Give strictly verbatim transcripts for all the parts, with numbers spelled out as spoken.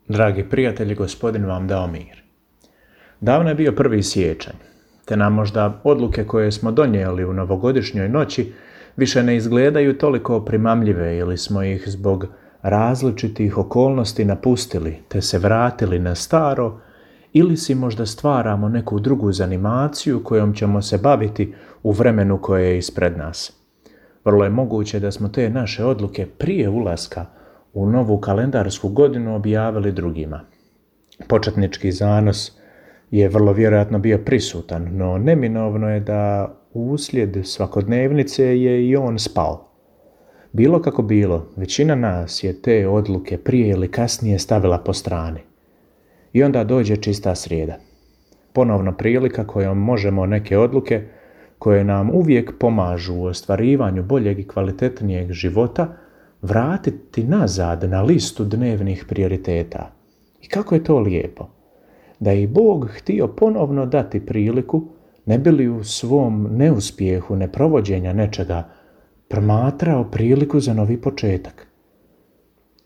Dragi prijatelji, Gospodin vam dao mir. Davno je bio prvi siječanj, te nam možda odluke koje smo donijeli u novogodišnjoj noći više ne izgledaju toliko primamljive ili smo ih zbog različitih okolnosti napustili te se vratili na staro, ili si možda stvaramo neku drugu zanimaciju kojom ćemo se baviti u vremenu koje je ispred nas. Vrlo je moguće da smo te naše odluke prije ulaska u novu kalendarsku godinu objavili drugima. Početnički zanos je vrlo vjerojatno bio prisutan, no neminovno je da uslijed svakodnevnice je i on spao. Bilo kako bilo, većina nas je te odluke prije ili kasnije stavila po strani. I onda dođe čista srijeda. Ponovno prilika kojom možemo neke odluke koje nam uvijek pomažu u ostvarivanju boljeg i kvalitetnijeg života vratiti nazad na listu dnevnih prioriteta. I kako je to lijepo. Da je i Bog htio ponovno dati priliku, ne bi li u svom neuspjehu neprovođenja nečega promatrao priliku za novi početak.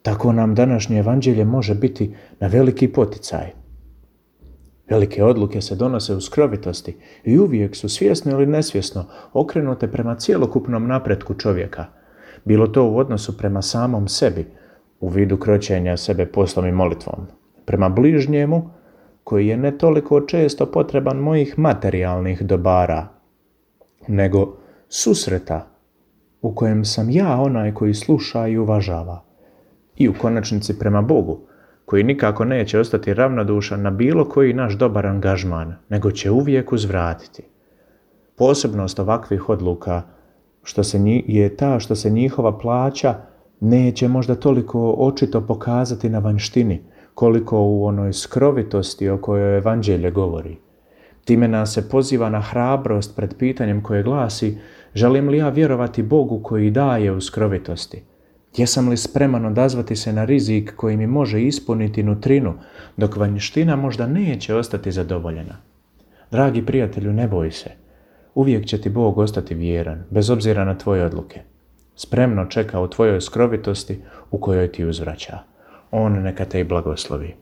Tako nam današnje evanđelje može biti na veliki poticaj. Velike odluke se donose u skrovitosti i uvijek su svjesno ili nesvjesno okrenute prema cjelokupnom napretku čovjeka. Bilo to u odnosu prema samom sebi, u vidu kroćenja sebe poslom i molitvom, prema bližnjemu, koji je ne toliko često potreban mojih materijalnih dobara, nego susreta u kojem sam ja onaj koji sluša i uvažava. I u konačnici prema Bogu, koji nikako neće ostati ravnodušan na bilo koji naš dobar angažman, nego će uvijek uzvratiti. Posebnost ovakvih odluka što se nji, je ta što se njihova plaća neće možda toliko očito pokazati na vanjštini, koliko u onoj skrovitosti o kojoj evanđelje govori. Time nas se poziva na hrabrost pred pitanjem koje glasi: želim li ja vjerovati Bogu koji daje u skrovitosti? Jesam li spreman odazvati se na rizik koji mi može ispuniti nutrinu, dok vanjština možda neće ostati zadovoljena? Dragi prijatelju, ne boj se. Uvijek će ti Bog ostati vjeran, bez obzira na tvoje odluke. Spremno čeka u tvojoj skrovitosti u kojoj ti uzvraća. On neka te i blagoslovi.